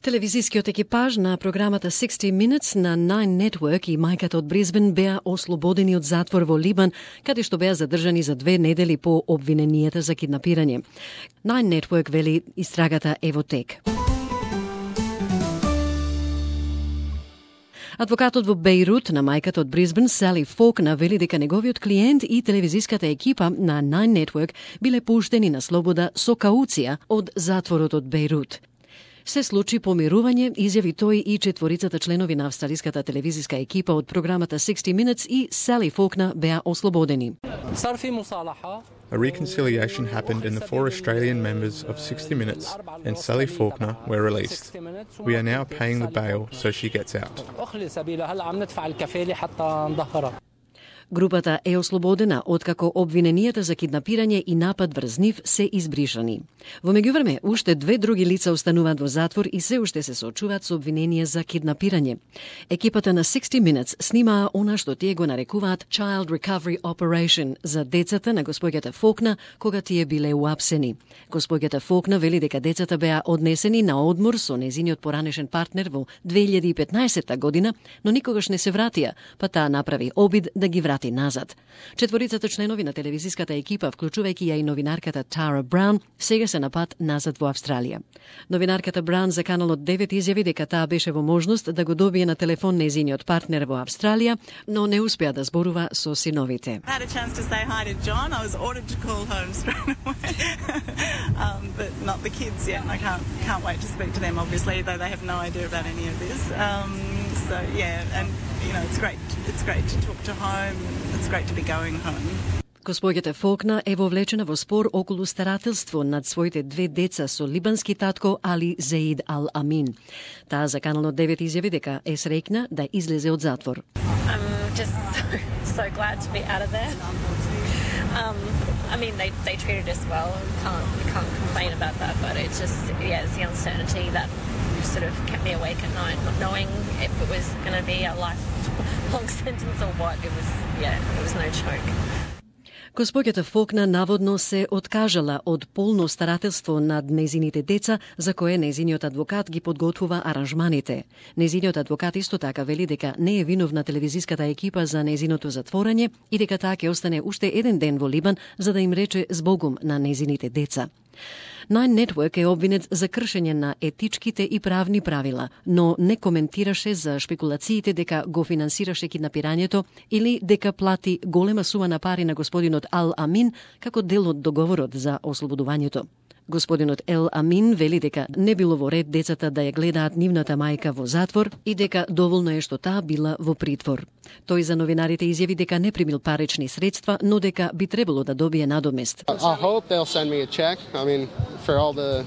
Телевизискиот екипаж на програмата 60 Minutes на Nine Network и мајката од Брисбен беа ослободени од затвор во Либан, каде што беа задржани за 2 недели по обвиненијата за киднапирање. Nine Network вели истрагата е во тек. Адвокатот во Бејрут на мајката од Брисбен, Сали Фолкнер, вели дека неговиот клиент и телевизиската екипа на Nine Network биле пуштени на слобода со кауција од затворот од Бејрут. Се случи помирување, изјави тој и четворицата членови на австралиската телевизиска екипа од програмата 60 Minutes и Сали Фолкнер беа ослободени. A reconciliation happened and the 4 Australian members of 60 Minutes and Sally Faulkner were released. We are now paying the bail so she gets out. Групата е ослободена откако обвиненијата за киднапирање и напад врз нив се избришани. Во меѓувреме, уште 2 други лица остануваат во затвор и се уште се соочуваат со обвиненија за киднапирање. Екипата на 60 Minutes снимаа она што тие го нарекуваат Child Recovery Operation за децата на господјата Фолкнер кога тие биле уапсени. Господјата Фолкнер вели дека децата беа однесени на одмор со незиниот поранешен партнер во 2015 година, но никогаш не се вратија, па таа направи обид да ги врати назад. Четворицата членови на телевизиската екипа, вклучувајќи ја и новинарката Тара Браун, сега се на пат назад во Австралија. Новинарката Браун за каналот 9 изјави дека таа беше во можност да го добие на телефон незиниот партнер во Австралија, но не успеа да зборува со синовите. It's great to talk to home. It's great to be going home. Госпоѓата Фолкнер е вовлечена во спор околу старателство над своите 2 деца со либански татко Али Зеид Ал Амин. Таа за каналот 9 изјави дека е среќна да излезе од затвор. I'm just so glad to be out of there. I mean, they treated us well. You can't complain about that, but it's just, it's the uncertainty that sort of kept me awake at night, not knowing if it was going to be a lifelong sentence or what. It was no joke. Госпоѓата Фолкнер наводно се откажала од полно старателство над незините деца, за кое незиниот адвокат ги подготвува аранжманите. Незиниот адвокат исто така вели дека не е виновна телевизиската екипа за незиното затворање и дека таа ќе остане уште 1 ден во Либан за да им рече збогум на незините деца. Nine Network е обвинет за кршење на етичките и правни правила, но не коментираше за шпекулациите дека го финансираше киднапирањето или дека плати голема сума на пари на господинот Ал Амин како дел од договорот за ослободувањето. Господинот Ел Амин вели дека не било во ред децата да ја гледаат нивната мајка во затвор и дека доволно е што таа била во притвор. Тој за новинарите изјави дека не примил парични средства, но дека би требало да добие надомест. I hope they'll send me a check. I mean, for all the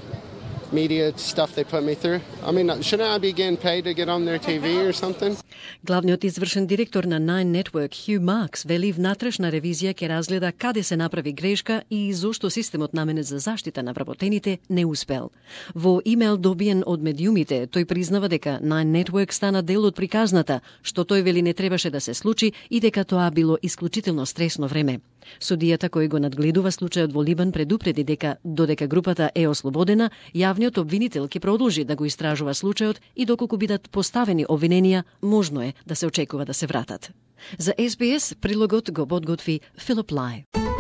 media stuff they put me through. I mean, shouldn't I be getting paid to get on their TV or something? Главниот извршен директор на Nine Network, Хју Маркс, вели внатрешна ревизија ќе разгледа каде се направи грешка и зошто системот наменет за заштита на вработените не успел. Во имејл добиен од медиумите, тој признава дека Nine Network стана дел од приказната, што тој вели не требаше да се случи и дека тоа било исклучително стресно време. Судијата кој го надгледува случајот во Либан предупреди дека додека групата е ослободена, јавниот обвинител ќе продолжи да го истражува случајот и доколку бидат поставени обвиненија, можно е да се очекува да се вратат. За SBS прилогот го подготви Филип Лај.